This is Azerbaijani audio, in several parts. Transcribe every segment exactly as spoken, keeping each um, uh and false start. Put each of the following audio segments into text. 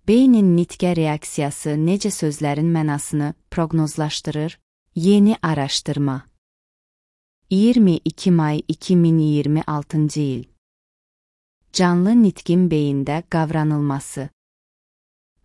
Beynin nitqə reaksiyası necə sözlərin mənasını proqnozlaşdırır? Yeni araşdırma. iyirmi iki may iki min iyirmi altıncı il. Canlı nitqin beyində qavranılması.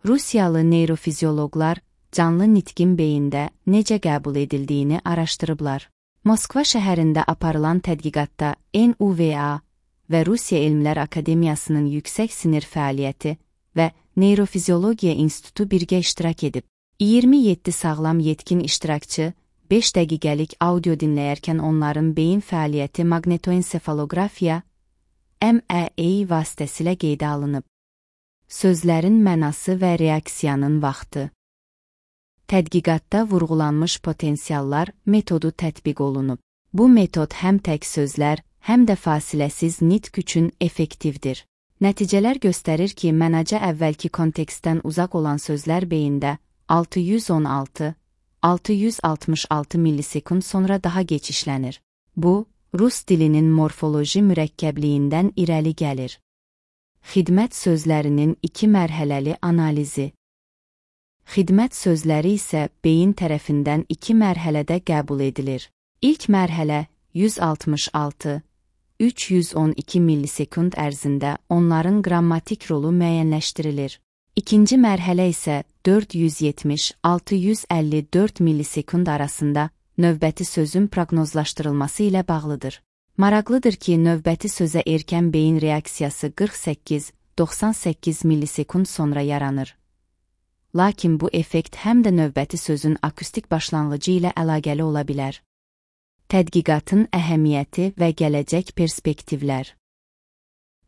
Rusiyalı neyrofizioloqlar canlı nitqin beyində necə qəbul edildiyini araşdırıblar. Moskva şəhərində aparılan tədqiqatda N U V A və Rusiya Elmlər Akademiyasının yüksək sinir fəaliyyəti və Neyrofiziologiya İnstitutu birgə iştirak edib. iyirmi yeddi sağlam yetkin iştirakçı beş dəqiqəlik audio dinləyərkən onların beyin fəaliyyəti maqnetoensefalografiya M E E vasitəsilə qeydə alınıb. Sözlərin mənası və reaksiyanın vaxtı. Tədqiqatda vurğulanmış potensiallar metodu tətbiq olunub. Bu metod həm tək sözlər, həm də fasiləsiz nitq üçün effektivdir. Nəticələr göstərir ki, mənacə əvvəlki kontekstdən uzaq olan sözlər beyində altı yüz on altı altı yüz altmış altı millisekund sonra daha geç işlənir. Bu, Rus dilinin morfoloji mürəkkəbliyindən irəli gəlir. Xidmət sözlərinin iki mərhələli analizi. Xidmət sözləri isə beyin tərəfindən iki mərhələdə qəbul edilir. İlk mərhələ yüz altmış altı üç yüz on iki millisekund ərzində onların qrammatik rolu müəyyənləşdirilir. İkinci mərhələ isə dörd yüz yetmiş altı yüz əlli dörd millisekund arasında növbəti sözün proqnozlaşdırılması ilə bağlıdır. Maraqlıdır ki, növbəti sözə erkən beyin reaksiyası qırx səkkiz doxsan səkkiz millisekund sonra yaranır. Lakin bu effekt həm də növbəti sözün akustik başlanğıcı ilə əlaqəli ola bilər. Tədqiqatın əhəmiyyəti və gələcək perspektivlər.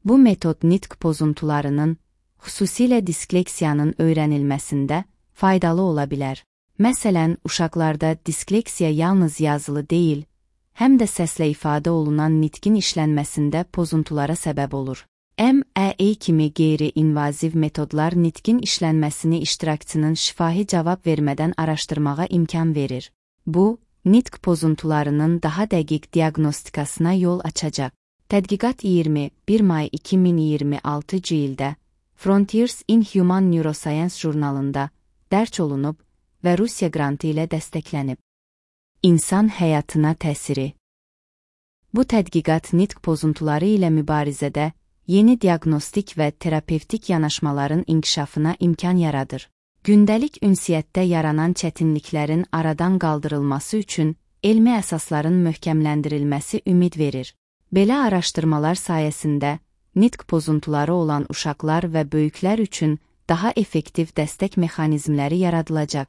Bu metod nitq pozuntularının, xüsusilə diskleksiyanın öyrənilməsində faydalı ola bilər. Məsələn, uşaqlarda diskleksiya yalnız yazılı deyil, həm də səslə ifadə olunan nitqin işlənməsində pozuntulara səbəb olur. M E E kimi qeyri-invaziv metodlar nitqin işlənməsini iştirakçının şifahi cavab vermədən araşdırmağa imkan verir. Bu, nitq pozuntularının daha dəqiq diaqnostikasına yol açacaq. Tədqiqat iyirmi bir may iki min iyirmi altıncı ildə Frontiers in Human Neuroscience jurnalında dərc olunub və Rusiya qrantı ilə dəstəklənib. İnsan həyatına təsiri. Bu tədqiqat nitq pozuntuları ilə mübarizədə yeni diaqnostik və terapevtik yanaşmaların inkişafına imkan yaradır. Gündəlik ünsiyyətdə yaranan çətinliklərin aradan qaldırılması üçün elmi əsasların möhkəmləndirilməsi ümid verir. Belə araşdırmalar sayəsində nitq pozuntuları olan uşaqlar və böyüklər üçün daha effektiv dəstək mexanizmləri yaradılacaq.